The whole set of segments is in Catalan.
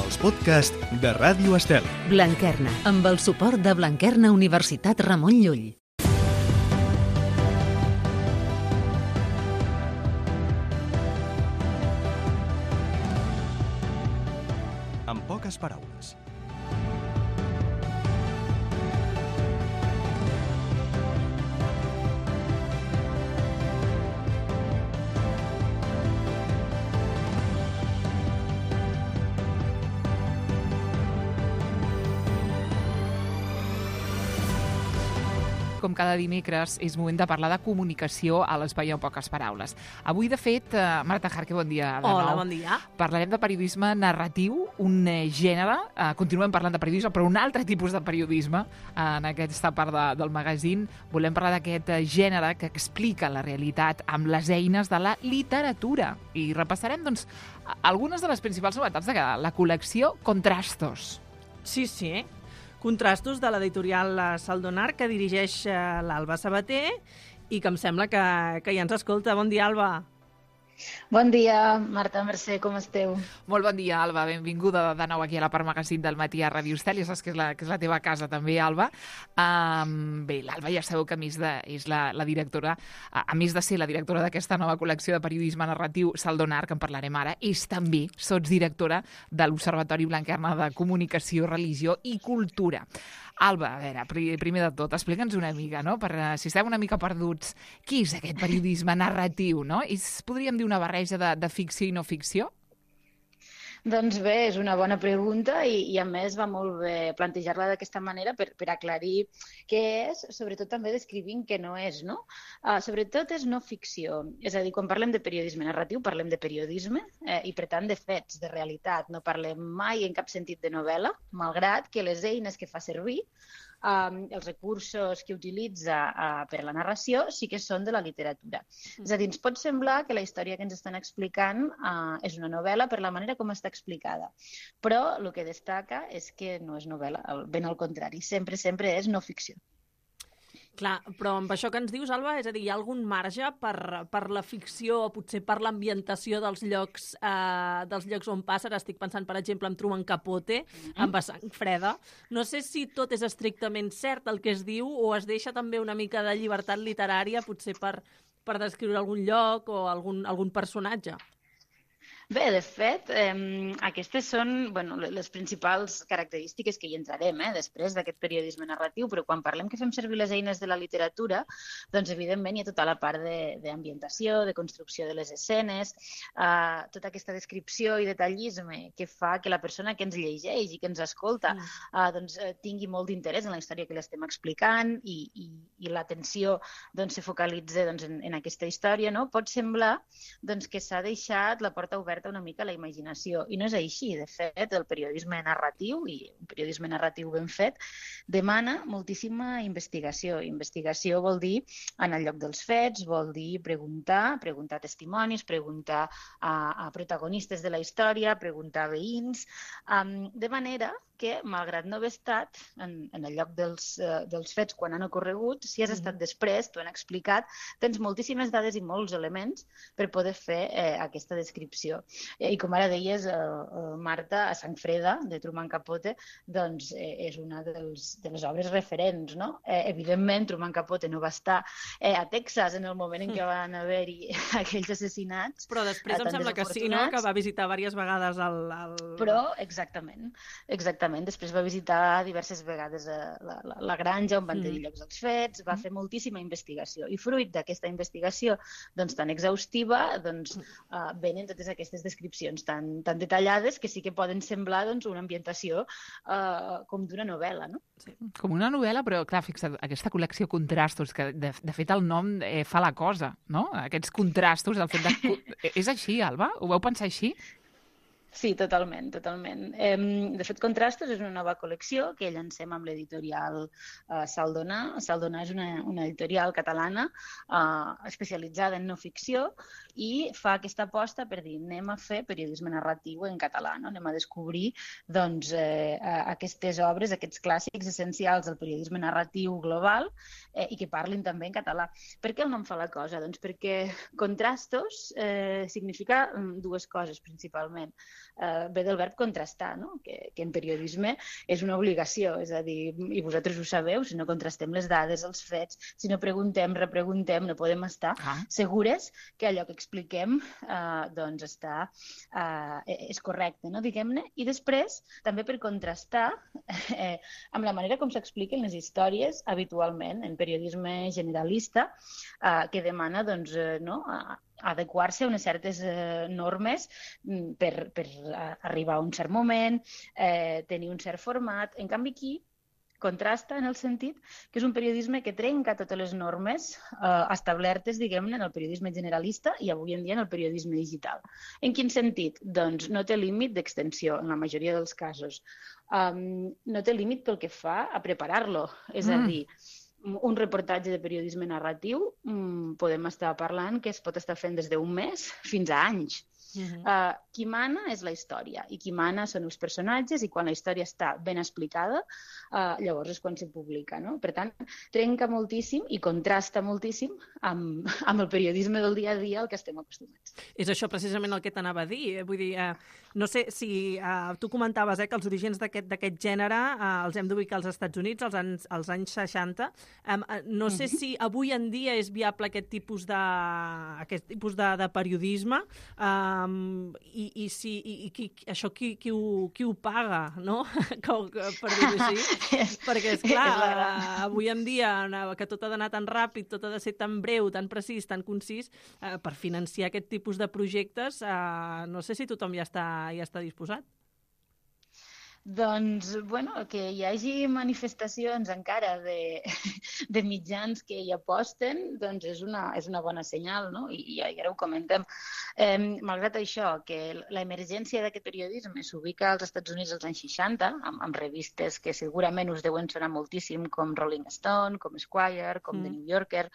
els podcasts de Ràdio Estel. Blanquerna, amb el suport de Blanquerna Universitat Ramon Llull. En poques paraules. Com cada dimecres, és moment de parlar de comunicació a l'Espai en poques paraules. Avui, de fet, Marta Jarque, bon dia de nou. Hola, bon dia. Parlarem de periodisme narratiu, un gènere. Continuem parlant de periodisme, però un altre tipus de periodisme. En aquesta part del magazín volem parlar d'aquest gènere que explica la realitat amb les eines de la literatura. I repassarem, doncs, algunes de les principals novetats de la col·lecció Contrastos. Sí. Contrastos de l'editorial Saldonar, que dirigeix l'Alba Sabater i que em sembla que ja ens escolta. Bon dia, Alba. Bon dia, Marta, Mercè, com esteu? Molt bon dia, Alba. Benvinguda de nou aquí a la part magazín del matí a Ràdio Estel. Ja saps que és la teva casa també, Alba. Bé, l'Alba ja sabeu que és la directora, a més de ser la directora d'aquesta nova col·lecció de periodisme narratiu Saldonar, que en parlarem ara, és també sotsdirectora de l'Observatori Blanquerna de Comunicació, Religió i Cultura. Alba, a veure, primer de tot, explica'ns una mica, no? Si estem una mica perduts, què és aquest periodisme narratiu, no? Podríem dir una barreja de ficció i no ficció? Doncs bé, és una bona pregunta i a més va molt bé plantejar-la d'aquesta manera per aclarir què és, sobretot també descrivint què no és, no? Sobretot és no ficció, és a dir, quan parlem de periodisme narratiu parlem de periodisme i per tant de fets, de realitat, no parlem mai en cap sentit de novel·la, malgrat que les eines que fa servir, els recursos que utilitza per a la narració sí que són de la literatura. És a dir, ens pot semblar que la història que ens estan explicant és una novel·la per la manera com està explicada, però el que destaca és que no és novel·la, ben al contrari, sempre és no ficció. Clar, però amb això que ens dius, Alba, és a dir, hi ha algun marge per la ficció o potser per l'ambientació dels llocs on passa? Ara estic pensant, per exemple, en Truman Capote, amb A sang freda. No sé si tot és estrictament cert el que es diu o es deixa també una mica de llibertat literària, potser per descriure algun lloc o algun personatge. Bé, de fet, aquestes són les principals característiques que hi entrarem després d'aquest periodisme narratiu, però quan parlem que fem servir les eines de la literatura, doncs evidentment hi ha tota la part d'ambientació, de construcció de les escenes, tota aquesta descripció i detallisme que fa que la persona que ens llegeix i que ens escolta tingui molt d'interès en la història que l'estem explicant i l'atenció se focalitza en aquesta història. Pot semblar que s'ha deixat la porta oberta una mica a la imaginació, i no és així. De fet, el periodisme narratiu, i un periodisme narratiu ben fet, demana moltíssima investigació. Investigació vol dir en el lloc dels fets, vol dir preguntar testimonis, preguntar a protagonistes de la història, preguntar a veïns, de manera que, malgrat no haver estat en el lloc dels fets quan han ocorregut, si has estat després, t'ho han explicat, tens moltíssimes dades i molts elements per poder fer aquesta descripció. I com ara deies, Marta, A sang freda, de Truman Capote, doncs és una de les obres referents, no? Evidentment, Truman Capote no va estar a Texas en el moment en què van haver-hi aquells assassinats. Però després em sembla que sí, no? Que va visitar diverses vegades Però, exactament. Després va visitar diverses vegades la granja on van tenir llocs els fets, va fer moltíssima investigació. I fruit d'aquesta investigació tan exhaustiva, venen totes aquestes descripcions tan detallades que sí que poden semblar una ambientació com d'una novel·la, no? Sí. Com una novel·la, però clar, fixa't, aquesta col·lecció Contrastos, que de fet el nom fa la cosa, no? Aquests contrastos, el fet de... És així, Alba? Ho vau pensar així? Sí, totalment. De fet, Contrastos és una nova col·lecció que llancem amb l'editorial Saldonar. Saldonar és una editorial catalana especialitzada en no ficció i fa aquesta aposta per dir anem a fer periodisme narratiu en català, no? Anem a descobrir aquestes obres, aquests clàssics essencials del periodisme narratiu global i que parlin també en català. Per què el nom fa la cosa? Doncs perquè Contrastos significa dues coses principalment. ve del verb contrastar, no? Que en periodisme és una obligació, és a dir, i vosaltres ho sabeu, si no contrastem les dades, els fets, si no preguntem, repreguntem, no podem estar segures que allò que expliquem doncs és correcte, no? Diguem-ne. I després, també per contrastar amb la manera com s'expliquen les històries habitualment en periodisme generalista, que demana doncs, adequar-se a unes certes normes per arribar a un cert moment, tenir un cert format. En canvi, aquí contrasta en el sentit que és un periodisme que trenca totes les normes establertes, diguem-ne, en el periodisme generalista i avui en dia en el periodisme digital. En quin sentit? Doncs no té límit d'extensió en la majoria dels casos. No té límit pel que fa a preparar-lo, és a dir, un reportatge de periodisme narratiu podem estar parlant que es pot estar fent des d'un mes fins a anys. Qui mana és la història i qui mana són els personatges i quan la història està ben explicada llavors és quan se publica, no? Per tant, trenca moltíssim i contrasta moltíssim amb el periodisme del dia a dia al que estem acostumats. És això precisament el que t'anava a dir. Vull dir, no sé si tu comentaves que els orígens d'aquest gènere els hem d'ubicar als Estats Units als anys 60. No sé si avui en dia és viable aquest tipus de periodisme i això qui ho paga, no? Per dir-ho així. Perquè, esclar, avui en dia que tot ha d'anar tan ràpid, tot ha de ser tan breu, tan precís, tan concís, per financiar aquest tipus de projectes, no sé si tothom ja està disposat. Doncs, bueno, que hi hagi manifestacions encara de mitjans que hi aposten, doncs és una bona senyal, no? I ara ho comentem. Malgrat això, que l'emergència d'aquest periodisme s'ubica als Estats Units als anys 60, amb revistes que segurament us deuen sonar moltíssim, com Rolling Stone, com Esquire, com The New Yorker,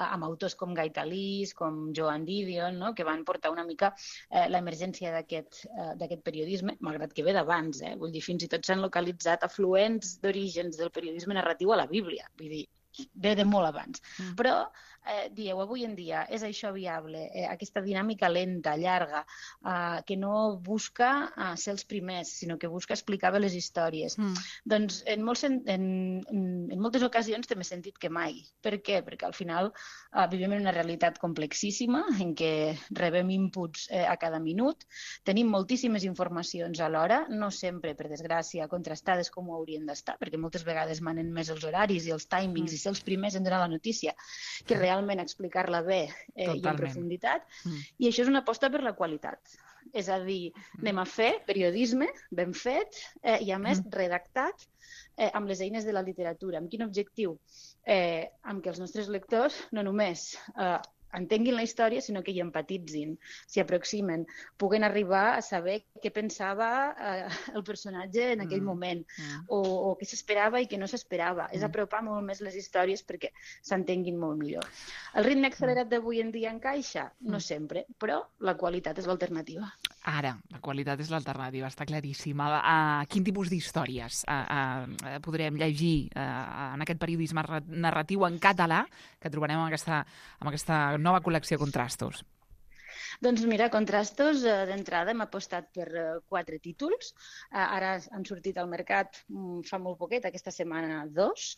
amb autors com Guy Talese, com Joan Didion, no? Que van portar una mica l'emergència d'aquest periodisme, malgrat que ve d'abans, vull dir, fins i tot s'han localitzat afluents d'orígens del periodisme narratiu a la Bíblia, vull dir, ve de molt abans. Però, dieu, avui en dia és això viable, aquesta dinàmica lenta, llarga, que no busca ser els primers, sinó que busca explicar bé les històries. Doncs en moltes ocasions té més sentit que mai. Per què? Perquè al final vivim en una realitat complexíssima en què rebem inputs a cada minut, tenim moltíssimes informacions alhora, no sempre, per desgràcia, contrastades com ho haurien d'estar, perquè moltes vegades manen més els horaris i els timings i ser els primers en donar la notícia que realment explicar-la bé i en profunditat. I això és una aposta per la qualitat. És a dir, anem a fer periodisme ben fet i, a més, redactat amb les eines de la literatura. Amb quin objectiu? Amb que els nostres lectors no només entenguin la història, sinó que hi empatitzin, s'hi aproximen, puguen arribar a saber què pensava el personatge en aquell moment, o què s'esperava i què no s'esperava. És apropar molt més les històries perquè s'entenguin molt millor. El ritme accelerat d'avui en dia encaixa? No sempre, però la qualitat és l'alternativa. Ara, la qualitat és l'alternativa, està claríssima. Quin tipus d'històries podrem llegir en aquest periodisme narratiu en català que trobarem amb aquesta nova col·lecció Contrastos? Doncs mira, Contrastos, d'entrada hem apostat per 4 títols. Ara han sortit al mercat fa molt poquet, aquesta setmana 2.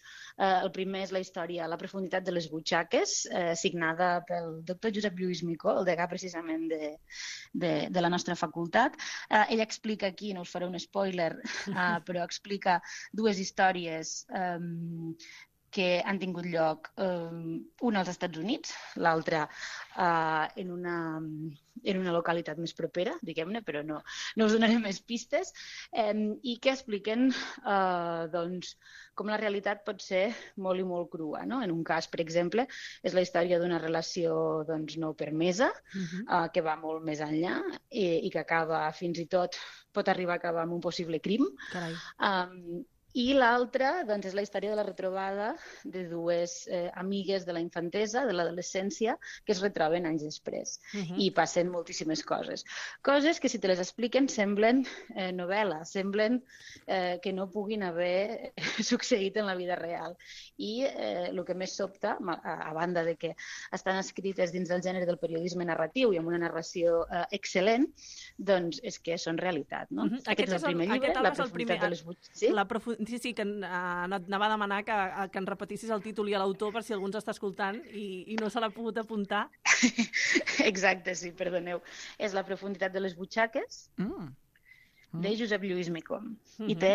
El primer és la història La profunditat de les butxaques, signada pel doctor Josep Lluís Micó, el degà precisament de la nostra facultat. Ell explica aquí, no us faré un spoiler, però explica 2 històries que han tingut lloc, una als Estats Units, l'altra en una localitat més propera, diguem-ne, però no us donaré més pistes, i que expliquen com la realitat pot ser molt i molt crua. No? En un cas, per exemple, és la història d'una relació no permesa, que va molt més enllà i que acaba fins i tot, pot arribar a acabar amb un possible crim. I l'altra doncs, és la història de la retrobada de dues amigues de la infantesa, de l'adolescència, que es retroben anys després. I passen moltíssimes coses. Coses que, si te les expliquen, semblen novel·la, semblen que no puguin haver succeït en la vida real. I el que més sobta, a banda de que estan escrites dins del gènere del periodisme narratiu i amb una narració excel·lent, doncs és que són realitat. No? Aquest és el primer llibre, La profunditat de les butxaques. Sí, que anava a demanar que ens repetissis el títol i l'autor per si algú ens està escoltant i no se l'ha pogut apuntar. Exacte, sí, perdoneu. És La profunditat de les butxaques, de Josep Lluís Micom. I té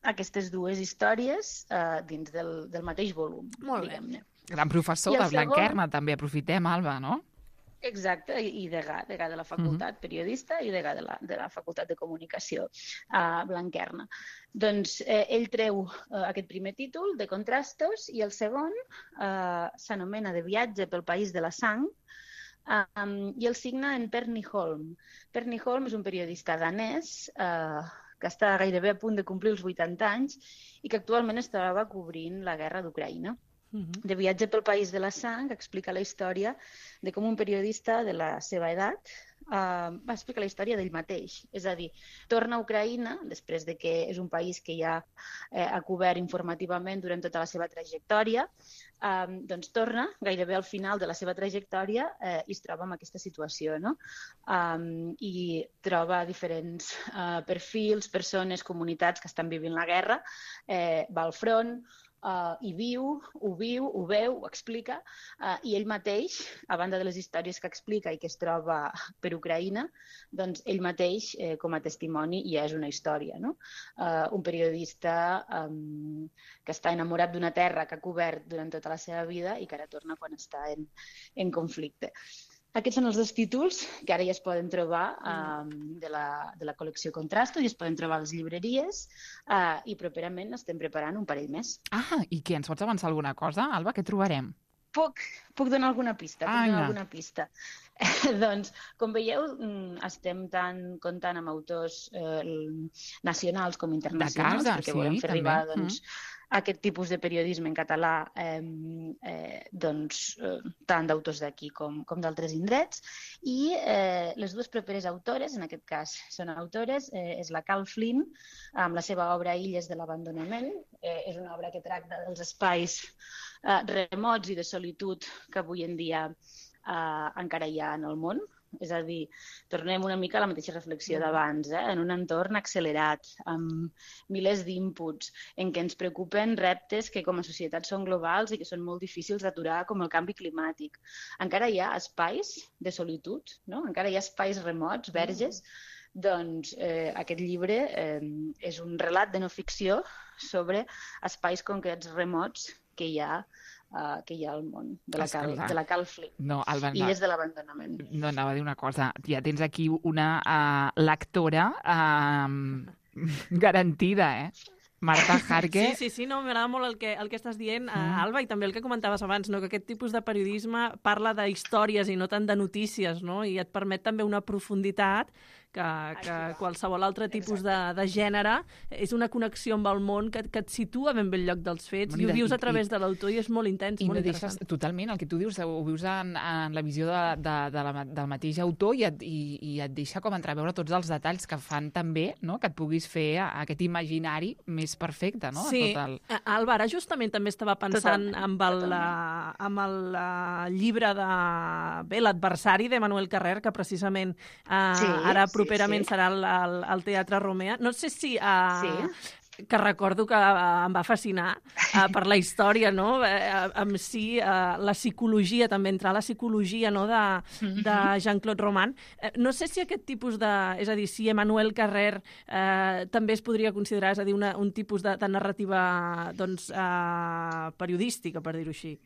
aquestes dues històries dins del mateix volum, diguem-ne. Gran professor de Blanquerna, també aprofitem, Alba, no? Exacte, i degà de la facultat, periodista, i degà de la facultat de comunicació a Blanquerna. Doncs ell treu aquest primer títol, de Contrastos, i el segon s'anomena De viatge pel país de la sang, i el signa en Perni Holm. Perni Holm és un periodista danès que està gairebé a punt de complir els 80 anys i que actualment es troba cobrint la guerra d'Ucraïna. De viatge pel país de la sang explica la història de com un periodista de la seva edat va explicar la història d'ell mateix. És a dir, torna a Ucraïna, després de que és un país que ja ha cobert informativament durant tota la seva trajectòria, doncs torna gairebé al final de la seva trajectòria i es troba en aquesta situació, no? I troba diferents perfils, persones, comunitats que estan vivint la guerra, va al front, hi viu, ho veu, ho explica, i ell mateix, a banda de les històries que explica i que es troba per Ucraïna, doncs ell mateix, com a testimoni, ja és una història, no? Un periodista que està enamorat d'una terra que ha cobert durant tota la seva vida i que ara torna quan està en conflicte. Aquests són els dos títols que ara ja es poden trobar de la col·lecció Contrastos i es poden trobar a les llibreries i properament estem preparant un parell més. I què? Ens pots avançar alguna cosa, Alba? Què trobarem? Puc donar alguna pista? Doncs, com veieu, estem tant comptant amb autors nacionals com internacionals, perquè volem fer arribar aquest tipus de periodisme en català tant d'autors d'aquí com d'altres indrets. I les dues properes autores, en aquest cas són autores, és la Cal Flynn, amb la seva obra Illes de l'abandonament. És una obra que tracta dels espais remots i de solitud que avui en dia encara hi ha en el món. És a dir, tornem una mica a la mateixa reflexió d'abans, en un entorn accelerat, amb milers d'inputs, en què ens preocupen reptes que com a societat són globals i que són molt difícils d'aturar, com el canvi climàtic. Encara hi ha espais de solitud, no? Encara hi ha espais remots, verges. Doncs aquest llibre és un relat de no ficció sobre espais concrets remots que hi ha al món, de la Cal Flynn. No, Alba, Illes de l'abandonament. No, anava a dir una cosa. Ja tens aquí una lectora garantida, Marta Jarque. Sí, no, m'agrada molt el que estàs dient, Alba, i també el que comentaves abans, no? Que aquest tipus de periodisme parla de històries i no tant de notícies, no? I et permet també una profunditat que qualsevol altre tipus de gènere és una connexió amb el món que et situa ben bé el lloc dels fets i ho vius a través de l'autor i és molt intens, molt interessant. Totalment, el que tu dius, ho vius en la visió del mateix autor i et deixa com entreveure tots els detalls que fan també, no?, que et puguis fer aquest imaginari més perfecte, no? Sí, Alba, ara justament també estava pensant amb el llibre de l'adversari de Manuel Carrer, que precisament ara properament serà al Teatre Romea. No sé si... que recordo que em va fascinar per la història, no? Amb si la psicologia, també entrar a la psicologia, no?, de Jean-Claude Roman. No sé si aquest tipus de... És a dir, si Emmanuel Carrer també es podria considerar, és a dir, un tipus de narrativa periodística, per dir-ho així.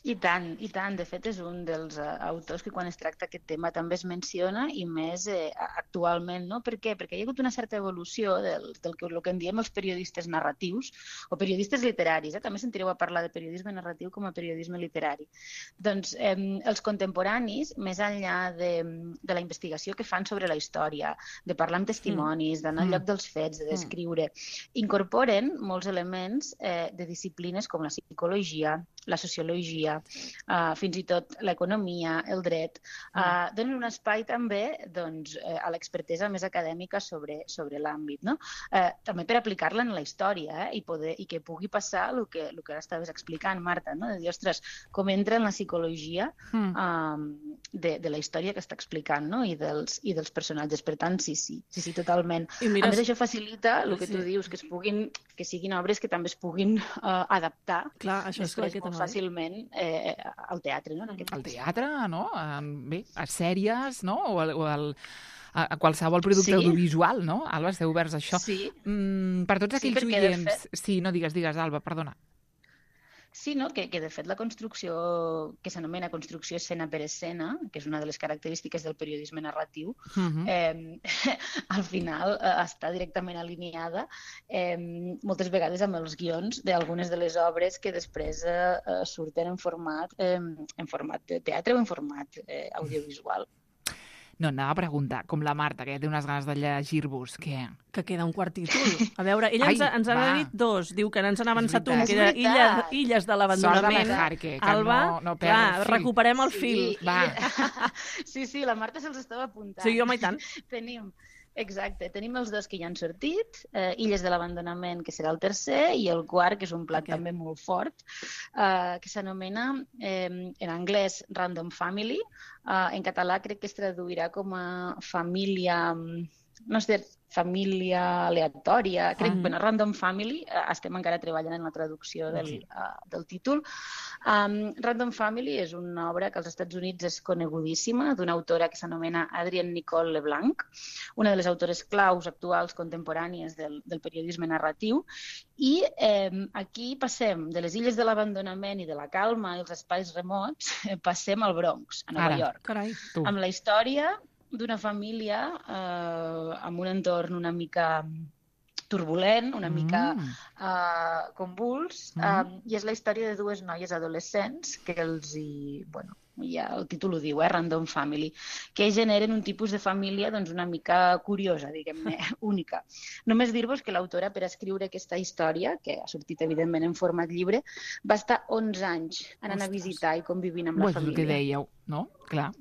I tant, i tant. De fet, és un dels autors que quan es tracta aquest tema també es menciona i més actualment, no? Per què? Perquè hi ha hagut una certa evolució del que en diem els periodistes narratius o periodistes literaris. També sentireu a parlar de periodisme narratiu com a periodisme literari. Doncs els contemporanis, més enllà de la investigació que fan sobre la història, de parlar amb testimonis, d'anar al lloc dels fets, de descriure, incorporen molts elements de disciplines com la psicologia, la sociologia, fins i tot l'economia, el dret, donen un espai també a l'expertesa més acadèmica sobre l'àmbit, no? També per aplicar-la en la història i que pugui passar el que ara estaves explicant, Marta, no? De dir, ostres, com entra en la psicologia de la història que està explicant, no? I dels personatges. Per tant, sí, totalment. A més, això facilita el que tu dius, que siguin obres que també es puguin adaptar. Clar, això és clar que molt fàcilment al teatre, no? Al teatre, no? Bé, a sèries, no? O a qualsevol producte audiovisual, no? Alba, esteu oberts a això. Sí. Per tots aquells oients... Sí, no digues, Alba, perdona. Sí, no? Que de fet la construcció, que s'anomena construcció escena per escena, que és una de les característiques del periodisme narratiu, al final està directament alineada moltes vegades amb els guions d'algunes de les obres que després surten en format de teatre o en format audiovisual. No, anava a preguntar, com la Marta, que ja té unes ganes de llegir-vos, què? Que queda un quart títol. A veure, ella ens n'ha dit dos. Diu que ens n'ha avançat un, que era Illes de l'abandonament. Sort de Jarque, que Alba, no perd el fil. Recuperem el fil. Va. Sí, la Marta se'ls estava apuntant. Sí, home, i tant. Tenim els dos que ja han sortit, Illes de l'abandonament, que serà el tercer, i el quart, que és un plat també molt fort, que s'anomena, en anglès, Random Family. En català crec que es traduirà com a família... No sé, família aleatòria, crec, Random Family, estem encara treballant en la traducció del títol. Random Family és una obra que als Estats Units és conegudíssima, d'una autora que s'anomena Adrienne Nicole LeBlanc, una de les autores claus actuals contemporànies del periodisme narratiu, i aquí passem de les illes de l'abandonament i de la calma i els espais remots, passem al Bronx, a Nova York. Carai, amb la història d'una família amb un entorn una mica turbulent, una mica convuls, i és la història de dues noies adolescents que ja el títol ho diu, Random Family, que generen un tipus de família una mica curiosa, diguem-ne, única. Només dir-vos que l'autora, per escriure aquesta història, que ha sortit evidentment en format llibre, va estar 11 anys anant a visitar i convivint amb la família. És el que dèieu, no? Clar.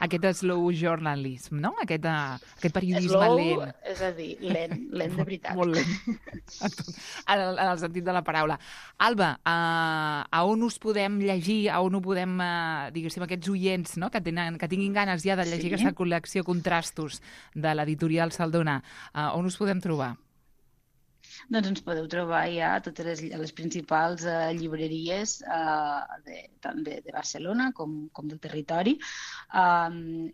Aquest slow journalism, no? Aquest periodisme lent. És a dir, lent de veritat. Molt lent. En el sentit de la paraula. Alba, a on us podem llegir, a on ho podem, diguéssim, aquests oients, no? que tinguin ganes ja de llegir aquesta col·lecció Contrastos de l'editorial Saldona, on us podem trobar? Doncs ens podeu trobar ja a totes les principals llibreries tant de Barcelona com del territori.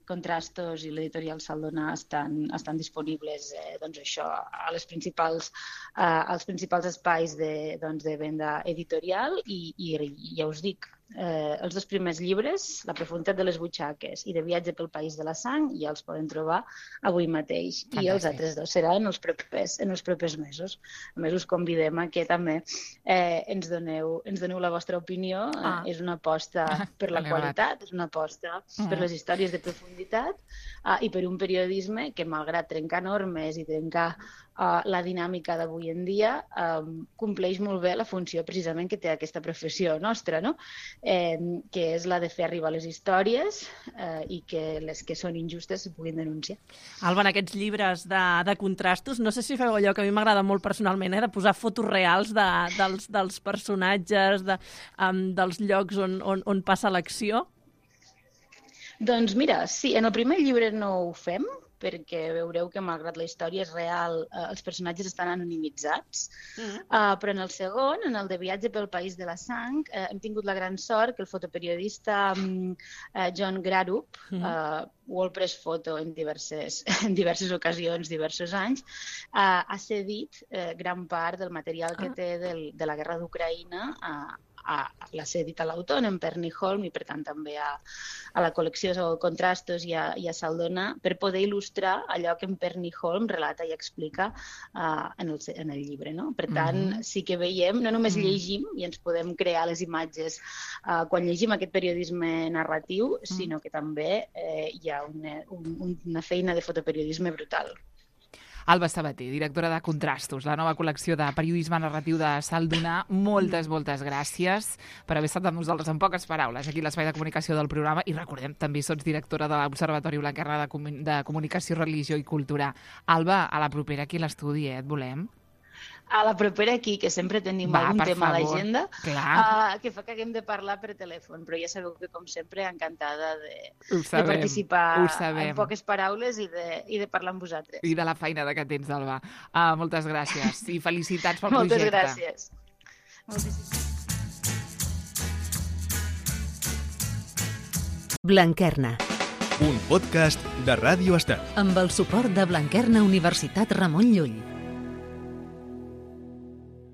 Contrastos i l'editorial Saldona estan disponibles als principals espais de venda editorial i ja us dic, els dos primers llibres, La profunditat de les butxaques i De viatge pel país de la sang, ja els poden trobar avui mateix. Fantàstic. I els altres dos seran en els propers mesos. A més, us convidem a que també ens doneu la vostra opinió. És una aposta per la qualitat, és una aposta per les històries de profunditat i per un periodisme que, malgrat trencar normes i trencar la dinàmica d'avui en dia, compleix molt bé la funció precisament que té aquesta professió nostra, no? Que és la de fer arribar les històries i que les que són injustes se puguin denunciar. Alba, en aquests llibres de contrastos, no sé si feu allò que a mi m'agrada molt personalment, de posar fotos reals dels personatges, dels llocs on passa l'acció. Doncs mira, sí, en el primer llibre no ho fem, perquè veureu que, malgrat la història és real, els personatges estan anonimitzats. Però en el segon, en el de viatge pel país de la sang, hem tingut la gran sort que el fotoperiodista John Grarup, World Press Photo en diverses ocasions, diversos anys, ha cedit gran part del material que té de la guerra d'Ucraïna l'ha cedit a l'autor, en Perni Holm, i per tant també a la col·lecció Contrastos i a Saldona, per poder il·lustrar allò que en Perni Holm relata i explica en el llibre. No? Per tant, sí que veiem, no només llegim i ens podem crear les imatges quan llegim aquest periodisme narratiu, sinó que també hi ha una feina de fotoperiodisme brutal. Alba Sabater, directora de Contrastos, la nova col·lecció de periodisme narratiu de Saldona. Moltes gràcies per haver estat amb nosaltres, en poques paraules, aquí a l'Espai de Comunicació del programa. I recordem, també sots directora de l'Observatori Blanquerna de Comunicació, Religió i Cultura. Alba, a la propera aquí a l'estudi, et volem. A la propera aquí, que sempre tenim algun tema a l'agenda, que fa que haguem de parlar per telèfon, però ja sabeu que, com sempre, encantada de participar en poques paraules i de parlar amb vosaltres. I de la feina que tens, Alba. Moltes gràcies i felicitats pel projecte. Moltes gràcies. Blanquerna. Un podcast de Ràdio Estel. Amb el suport de Blanquerna Universitat Ramon Llull.